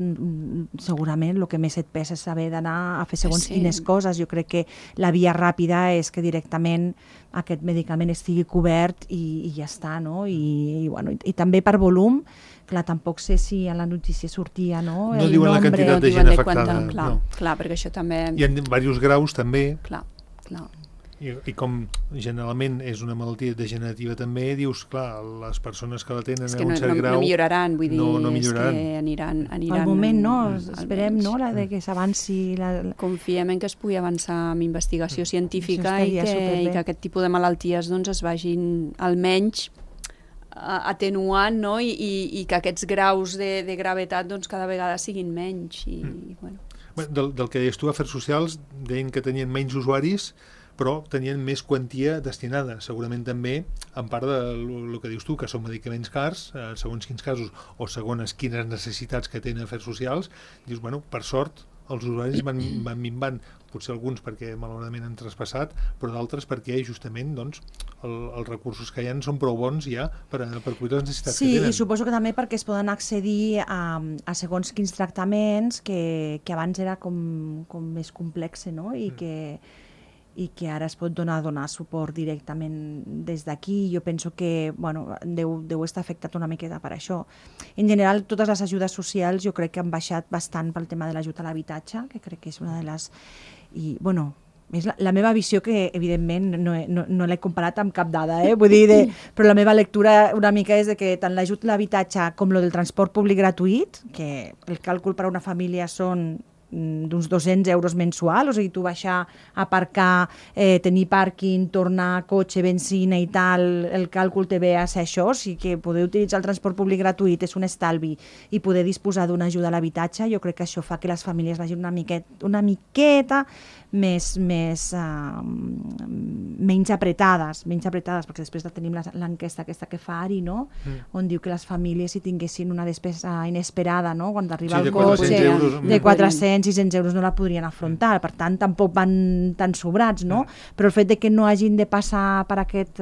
segurament el que més et pesa és saber d'anar a fer segons quines coses. Jo crec que la via ràpida és que directament aquest medicament estigui cobert i ja està, no? I també per volum, clar, tampoc sé si a la notícia sortia, no? No diuen la quantitat de gent afectada. Clar, perquè això també... Hi ha diversos graus també. Clar. I com generalment és una malaltia degenerativa també, dius, clar, les persones que la tenen a un cert grau... no milloraran, vull dir, no milloraran. És que aniran... Al moment, no? Esperem, no?, que s'avanci... Confiem en que es pugui avançar amb investigació científica i que aquest tipus de malalties es vagin almenys atenuant, no? I que aquests graus de gravetat cada vegada siguin menys. Del que deies tu, Afers Socials deien que tenien menys usuaris, però tenien més quantia destinada, segurament també en part del que dius tu, que són medicaments cars, segons quins casos o segons quines necessitats que tenen Afers Socials, dius, bueno, per sort els usuaris van minvant, potser alguns perquè malauradament han traspassat, però d'altres perquè justament doncs, els recursos que hi ha són prou bons ja per cobrir les necessitats que tenen. Sí, i suposo que també perquè es poden accedir a segons quins tractaments que abans era com més complex, no? I que ara es pot donar suport directament des d'aquí. Jo penso que deu estar afectat una miqueta per això. En general, totes les ajudes socials jo crec que han baixat bastant pel tema de l'ajut a l'habitatge, que crec que és una de les... I, és la meva visió, que evidentment no l'he comparat amb cap dada, vull dir, però la meva lectura una mica és de que tant l'ajut a l'habitatge com el del transport públic gratuït, que el càlcul per a una família són d'uns 200 euros mensual, o sigui, tu baixar, aparcar, tenir pàrquing, tornar, cotxe, benzina i tal, el càlcul te ve a ser això, o sigui que poder utilitzar el transport públic gratuït és un estalvi i poder disposar d'una ajuda a l'habitatge, jo crec que això fa que les famílies vagin una miqueta menys apretades, perquè després tenim l'enquesta aquesta que fa Ari, no? On diu que les famílies si tinguessin una despesa inesperada, no? Quan arriba el cotxe de 400-600 euros no la podrien afrontar, per tant tampoc van tan sobrats, no? Però el fet de que no hagin de passar per aquest,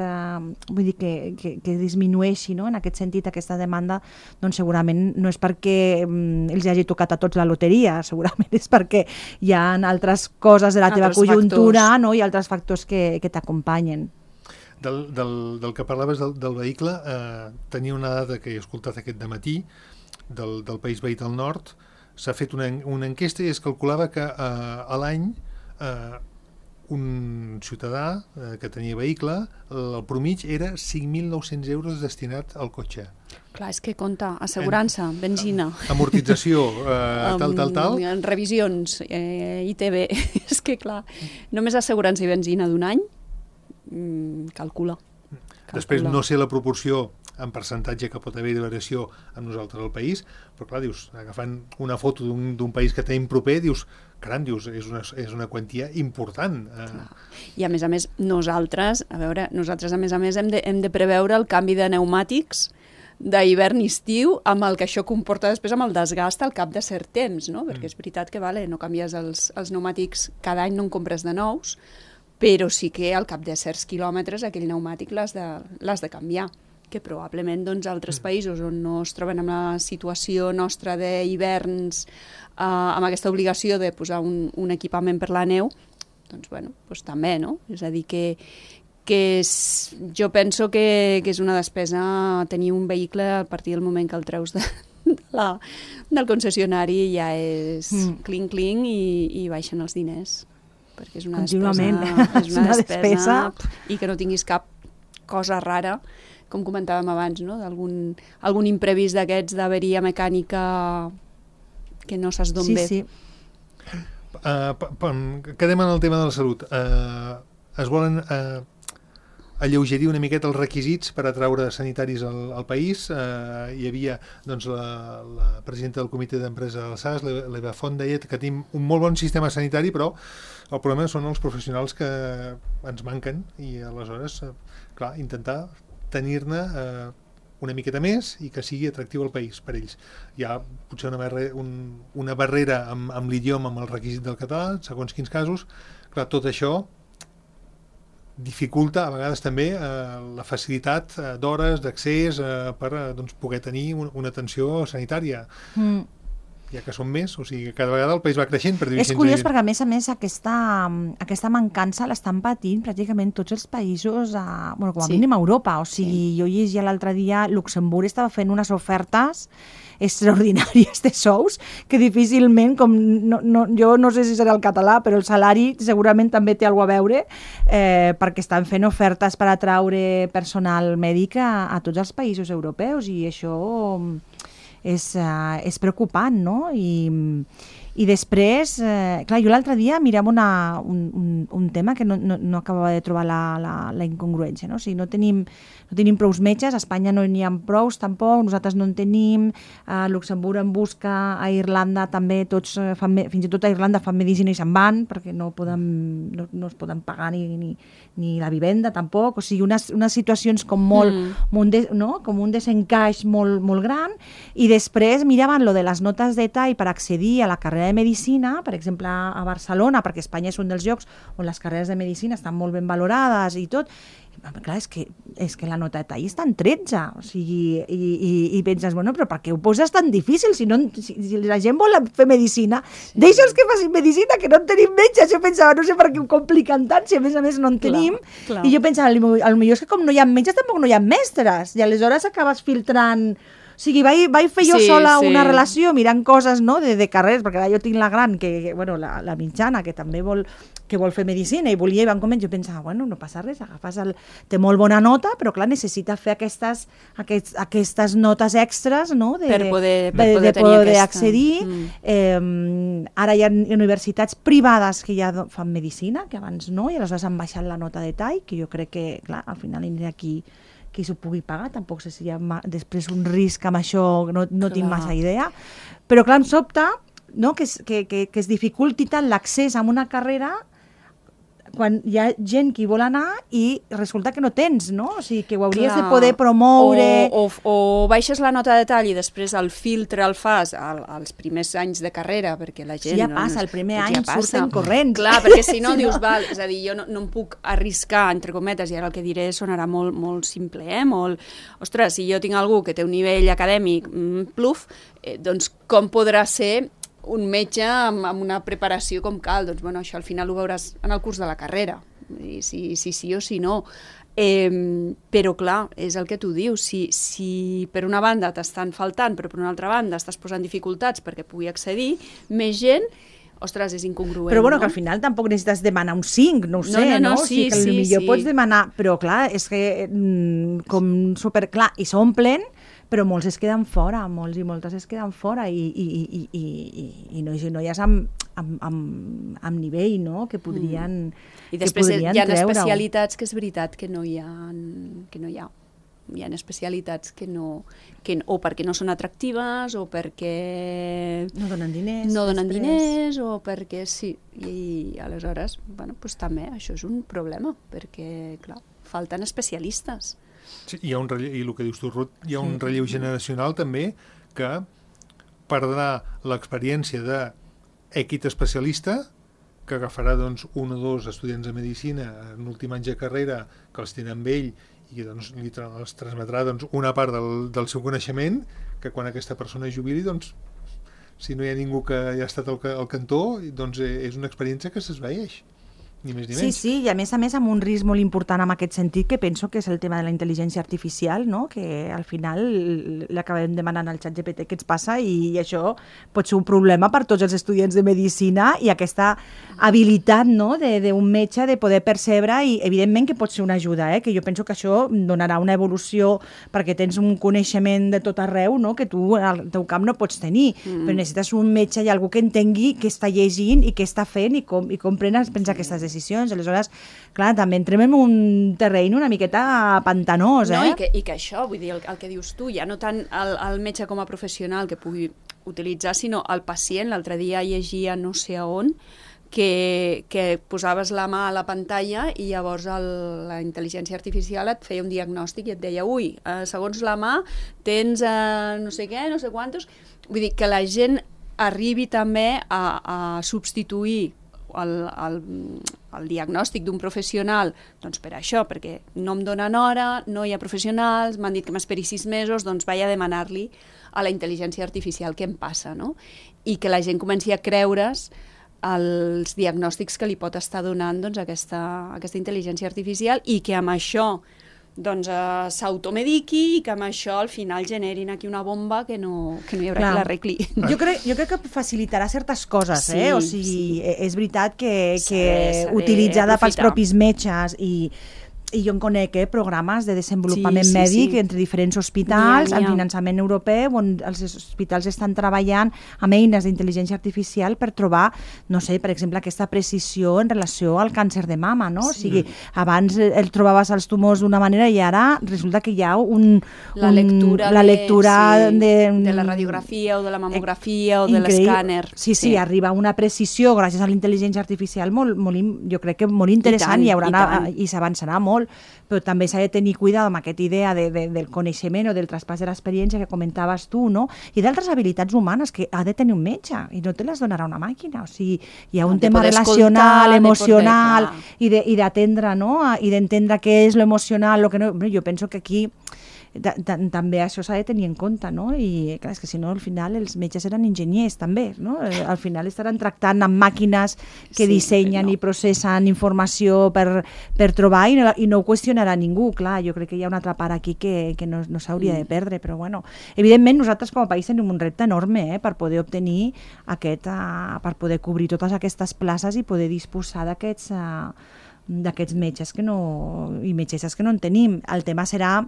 vull dir que disminueixi, no? En aquest sentit aquesta demanda, doncs segurament no és perquè els hagi tocat a tots la loteria, segurament és perquè hi ha altres coses de la teva conjuntura, no? I altres factors que t'acompanyen. Del que parlaves del vehicle, tenia una dada que he escoltat aquest dematí del País Veí del Nord. S'ha fet una enquesta i es calculava que a l'any un ciutadà que tenia vehicle, el promig era 5.900 euros destinat al cotxe. Clar, és que compta assegurança, benzina. Amortització, tal. Revisions, ITV. És que, clar, només assegurança i benzina d'un any, calcula. Després no sé la proporció en percentatge que pot haver de variació amb nosaltres al país, però clar, dius, agafant una foto d'un país que tenim proper, dius, caram, és una quantia important. I a més, nosaltres a més hem de preveure el canvi de pneumàtics d'hivern i estiu, amb el que això comporta després amb el desgast al cap de cert temps, no? Perquè és veritat que no canvies els pneumàtics cada any, no en compres de nous, però sí que al cap de certs quilòmetres aquell pneumàtic l'has de canviar, que probablement altres països on no es troben en la situació nostra d'hiverns amb aquesta obligació de posar un equipament per la neu, doncs també, no? És a dir, que jo penso que és una despesa tenir un vehicle a partir del moment que el treus del concessionari ja és clinc i baixen els diners, perquè és una despesa i que no tinguis cap cosa rara, com comentàvem abans, no? Algun imprevist d'aquests d'averia mecànica que no saps d'on ve. Sí. Quedem en el tema de la salut. Es volen alleugerir una miqueta els requisits per atraure sanitaris al país. Hi havia la presidenta del comitè d'empresa del SAS, l'Eva Font, deia que tenim un molt bon sistema sanitari, però el problema són els professionals que ens manquen i aleshores, clar, intentar tenir-ne una miqueta més i que sigui atractiu al país per ells. Hi ha potser una barrera amb l'idioma, amb el requisit del català, segons quins casos. Clar, tot això dificulta a vegades també la facilitat d'hores, d'accés per poder tenir una atenció sanitària. Ja que són més, o sigui, cada vegada el país va creixent, per dir-ho així. És curiós perquè, a més, aquesta mancança l'estan patint pràcticament tots els països, com a mínim a Europa. O sigui, jo llegia l'altre dia, Luxemburg estava fent unes ofertes extraordinàries de sous que difícilment, jo no sé si serà el català, però el salari segurament també té alguna a veure, perquè estan fent ofertes per atraure personal mèdic a tots els països europeus, i això és preocupant, no? I després, clar, jo l'altre dia mirava un tema que no acabava de trobar la incongruència, no? O sigui, no tenim prous metges, a Espanya no n'hi ha prous tampoc, nosaltres no en tenim, a Luxemburg en busca, a Irlanda també, tots fins i tot a Irlanda fan medicina i se'n van, perquè no es poden pagar ni la vivenda tampoc, o sigui, unes situacions com com un desencaix molt gran, i després miraven lo de les notes de tall per accedir a la carrera carrera de Medicina, per exemple a Barcelona, perquè Espanya és un dels llocs on les carreres de Medicina estan molt ben valorades i tot, clar, és que la nota de tall està en 13, o sigui, i penses, bueno, però per què ho poses tan difícil? Si la gent vol fer Medicina, deixa'ls que facin Medicina, que no en tenim metges. Jo pensava, no sé per què ho compliquen tant, si a més no en tenim. Clar. I jo pensava, potser és que com no hi ha metges, tampoc no hi ha mestres, i aleshores acabes filtrant... O sigui, vaig fer jo sola una relació mirant coses, no?, de carreres, perquè ara jo tinc la gran, bueno, la mitjana, que també vol fer Medicina i volia, i van començar, jo pensava, bueno, no passa res, té molt bona nota, però clar, necessita fer aquestes notes extres, no?, per poder accedir. Ara hi ha universitats privades que ja fan Medicina, que abans no, i aleshores han baixat la nota de tall, que jo crec que, clar, al final aniré aquí qui s'ho pugui pagar, tampoc sé si hi ha després un risc amb això, no tinc massa idea, però clar, em sobta, no?, que es dificulti tant l'accés a una carrera quan hi ha gent que hi vol anar i resulta que no tens, no? O sigui, que ho hauries de poder promoure... O baixes la nota de tall i després el filtre el fas als primers anys de carrera, perquè la gent... Sí, ja passa, el primer any surten corrents. Clar, perquè si no dius, val, és a dir, jo no em puc arriscar, entre cometes, i ara el que diré sonarà molt simple, molt... Ostres, si jo tinc algú que té un nivell acadèmic pluf, doncs com podrà ser un metge amb una preparació com cal? Doncs bueno, això al final ho veuràs en el curs de la carrera, si sí o si no. Però clar, és el que tu dius, si per una banda t'estan faltant, però per una altra banda estàs posant dificultats perquè pugui accedir, més gent, ostres, és incongruent. Però bueno, que al final tampoc necessites demanar un 5, no ho sé, no? O sigui, que potser pots demanar, però clar, és que com superclar, i s'omplen, però molts es queden fora, molts i moltes es queden fora i noies amb nivell, no?, que podrien I després hi ha especialitats que és veritat que no hi ha. Hi ha especialitats que no, o perquè no són atractives, o perquè no donen diners, o perquè sí. I aleshores, bueno, doncs també això és un problema, perquè, clar, falten especialistes. Sí, i el que dius tu, Ruth, hi ha un relleu generacional també que perdrà l'experiència d'èquit especialista, que agafarà doncs, un o dos estudiants de Medicina en l'últim any de carrera que els tenen amb ell i doncs, els transmetrà doncs, una part del seu coneixement, que quan aquesta persona es jubili, doncs, si no hi ha ningú que ha estat al cantó, doncs és una experiència que s'esvaeix. Ni més ni menys. Sí, i a més amb un risc molt important en aquest sentit, que penso que és el tema de la intel·ligència artificial, no?, que al final l'acabem demanant al ChatGPT què ens passa, i això pot ser un problema per tots els estudiants de Medicina, i aquesta habilitat, no?, d'un metge de poder percebre, i evidentment que pot ser una ajuda, que jo penso que això donarà una evolució perquè tens un coneixement de tot arreu, no?, que tu al teu camp no pots tenir, però necessites un metge i algú que entengui què està llegint i què està fent i com prens aquestes decisions. Aleshores, clar, també entrem en un terreny una miqueta pantanós, No, i que això, vull dir, el que dius tu, ja no tant el metge com a professional que pugui utilitzar, sinó el pacient. L'altre dia llegia no sé a on, que posaves la mà a la pantalla i llavors la intel·ligència artificial et feia un diagnòstic i et deia, ui, segons la mà tens no sé què, no sé quantos... Vull dir, que la gent arribi també a substituir el diagnòstic d'un professional, doncs per això, perquè no em donen hora, no hi ha professionals, m'han dit que m'esperi 6 mesos, doncs vaig a demanar-li a la intel·ligència artificial què em passa, no? I que la gent comenci a creure's els diagnòstics que li pot estar donant doncs, aquesta intel·ligència artificial, i que amb això doncs s'automediqui, i que amb això al final generin aquí una bomba que no hi haurà qui l'arregli. Jo crec que facilitarà certes coses, o sigui, és veritat que utilitzada pels propis metges i jo en conec programes de desenvolupament mèdic entre diferents hospitals, amb finançament europeu, on els hospitals estan treballant amb eines d'intel·ligència artificial per trobar, no sé, per exemple, aquesta precisió en relació al càncer de mama, no? O sigui, abans el trobaves els tumors d'una manera i ara resulta que hi ha la lectura de la radiografia o de la mamografia o de l'escàner. Sí, arriba a una precisió gràcies a la intel·ligència artificial jo crec que molt interessant, i s'avançarà molt. molt, però també s'ha de tenir cuidado amb aquesta idea del coneixement o del traspàs de l'experiència que comentaves tu, no? I d'altres habilitats humanes que ha de tenir un metge i no te les donarà una màquina. O sigui, hi ha un tema relacional, emocional i d'atendre, no? I d'entendre què és l'emocional, el que no... Jo penso que aquí també això s'ha de tenir en compte, no? I clar, és que si no al final els metges eren enginyers també, no? Al final estaran tractant amb màquines que dissenyen i processen informació per trobar i no ho qüestionarà ningú, clar, jo crec que hi ha una altra part aquí que no s'hauria de perdre, però bueno, evidentment nosaltres com a país tenim un repte enorme per poder obtenir per poder cobrir totes aquestes places i poder disposar d'aquests metges i metgesses que no en tenim. El tema serà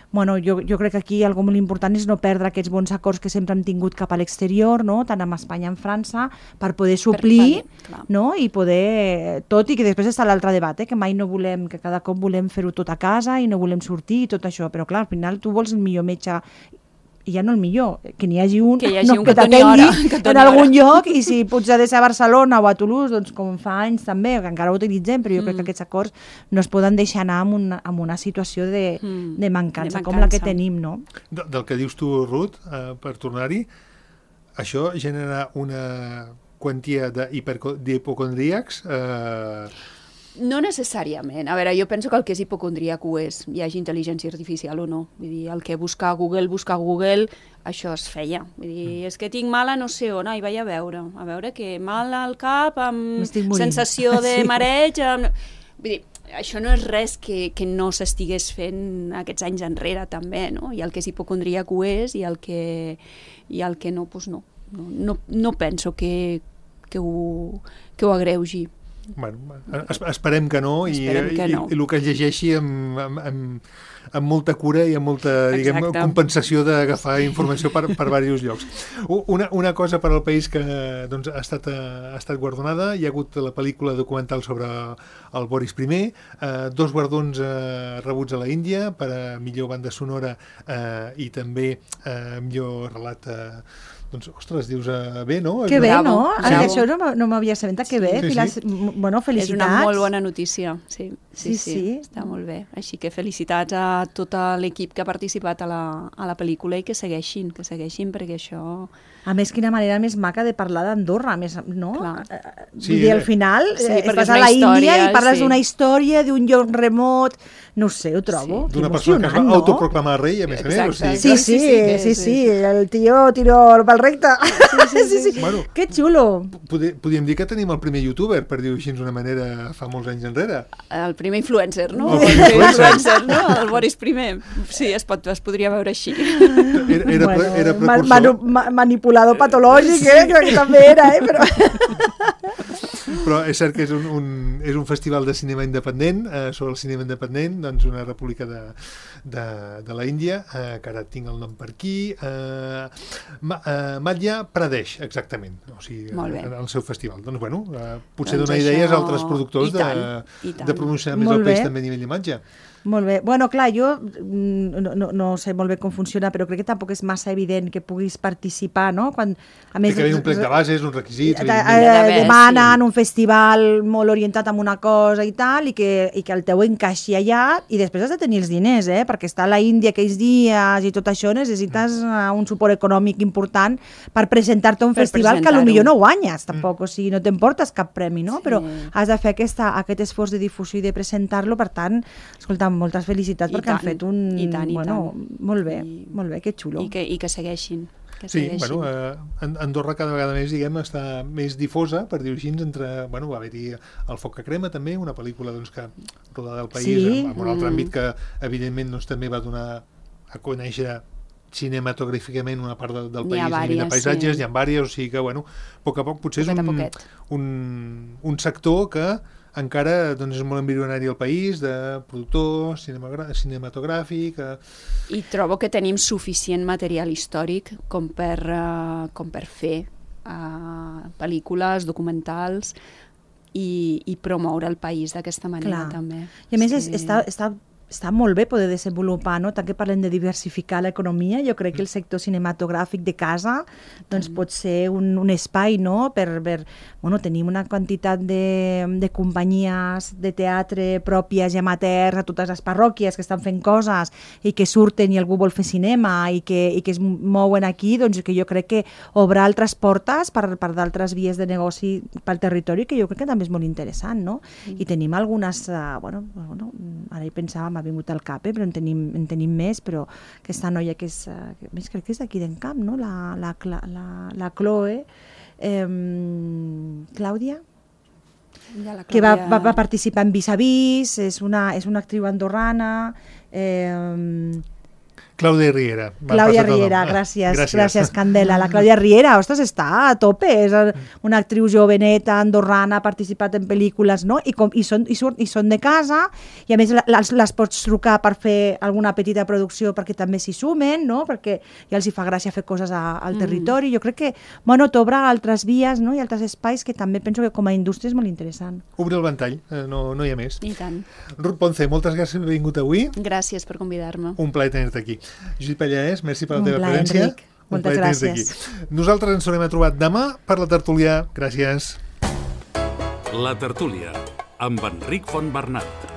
jo crec que aquí algo molt important és no perdre aquests bons acords que sempre hem tingut cap a l'exterior, no? Tant amb Espanya com amb França, per poder suplir, no? I poder... Tot i que després està l'altre debat, que mai no volem, que cada cop volem fer-ho tot a casa i no volem sortir i tot això, però clar, al final tu vols el millor metge i ja no el millor, que n'hi hagi un que t'atengui en algun lloc i si potser ha de ser a Barcelona o a Toulouse, doncs com fa anys també, que encara ho utilitzem, però jo crec que aquests acords no es poden deixar anar amb una situació de mancança com la que tenim, no? Del que dius tu, Ruth, per tornar-hi, això genera una quantia d'hipocondríacs No necessàriament. A veure, jo penso que el que és hipocondríac ho és, hi hagi intel·ligència artificial o no. Vull dir, el que buscar a Google, això es feia. Vull dir, és que tinc mal a no sé on, i vaig a veure que mal al cap, amb sensació de mareig... Vull dir, això no és res que no s'estigués fent aquests anys enrere, també, no? I el que és hipocondríac ho és, i el que no, doncs no. No penso que ho agreugi. Bueno, esperem que no, i el que es llegeixi amb molta cura i amb molta compensació d'agafar informació per diversos llocs. Una cosa per al país que ha estat guardonada, hi ha hagut la pel·lícula documental sobre el Boris I, 2 guardons rebuts a la Índia per a millor banda sonora i també millor relat. Doncs, ostres, dius bé, no? Que bé, no? Això no m'havia assabentat, que bé. Bueno, felicitats. És una molt bona notícia, sí. Està molt bé. Així que felicitats a tot l'equip que ha participat a la pel·lícula i que segueixin, perquè això... A més, quina manera més maca de parlar d'Andorra, no? Vull dir, al final estàs a la Índia i parles d'una història, d'un lloc remot, no sé, ho trobo. D'una persona que es va autoproclamar rei, a més a més. Sí, el tio tiró pel recte. Sí. Que xulo. Podríem dir que tenim el primer youtuber, per dir-ho així d'una manera, fa molts anys enrere. El primer influencer, no? El Boris I. Sí, es podria veure així. Era precursor. Manipulador patològic, que també era, Però és cert que és un festival de cinema independent, sobre el cinema independent, doncs una república de la Índia, que ara tinc el nom per aquí, Madhya Pradesh, exactament, o sigui, el seu festival. Doncs bueno, potser dona idees a altres productors de promocionar més el país també a nivell d'imatge. Molt bé. Bueno, clar, jo no sé molt bé com funciona, però crec que tampoc és massa evident que puguis participar, no? Té que haver un plec de bases, uns requisits... Demanen un festival molt orientat a una cosa i tal, i que el teu encaixi allà, i després has de tenir els diners, perquè estar a la Índia aquells dies i tot això necessites un suport econòmic important per presentar-te a un festival que potser no guanyes, tampoc, o sigui, no t'emportes cap premi, no? Però has de fer aquest esforç de difusió i de presentar-lo, per tant, escolta, moltes felicitats perquè han fet un... I tant. Molt bé, que xulo. I que segueixin. Sí, Andorra cada vegada més, està més difosa, per dir-ho així, va haver-hi El foc que crema, també, una pel·lícula que rodada al país, en un altre àmbit que, evidentment, també va donar a conèixer cinematogràficament una part del país a nivell de paisatges, n'hi ha diverses, o sigui que, a poc a poc, potser és un sector que encara és molt embrionari al país, de productor cinematogràfic... I trobo que tenim suficient material històric com per fer pel·lícules, documentals i promoure el país d'aquesta manera, també. I a més està està molt bé poder desenvolupar, no? Tant que parlem de diversificar l'economia, jo crec que el sector cinematogràfic de casa doncs pot ser un espai, no? Bueno, tenim una quantitat de companyies de teatre pròpies i amateurs a totes les parròquies que estan fent coses i que surten i algú vol fer cinema i que es mouen aquí, doncs que jo crec que obre altres portes per d'altres vies de negoci pel territori, que jo crec que també és molt interessant, no? I tenim algunes, bueno, ara hi pensava, m'ha vingut al cap, però en tenim més, però aquesta noia que és, més crec que és d'aquí d'Encamp, no? La Chloe, Clàudia, que va participar en Vis a Vis, és una actriu andorrana, Clàudia Riera. Clàudia Riera, gràcies, Candela. La Clàudia Riera, ostres, està a tope, és una actriu joveneta, andorrana, ha participat en pel·lícules, no? I són de casa, i a més les pots trucar per fer alguna petita producció perquè també s'hi sumen, no? Perquè ja els hi fa gràcia fer coses al territori. Jo crec que, bueno, t'obre altres vies, no? I altres espais que també penso que com a indústria és molt interessant. Obre el ventall, no hi ha més. I tant. Ruth Ponce, moltes gràcies per haver vingut avui. Gràcies per convidar-me. Un plaer tenir-te aquí. Judit Pallaés, merci per la teva presència. Enric. Moltes gràcies. Nosaltres ens tornem a trobar demà per la tertúlia. Gràcies. La tertúlia, amb Enric Fontbernat.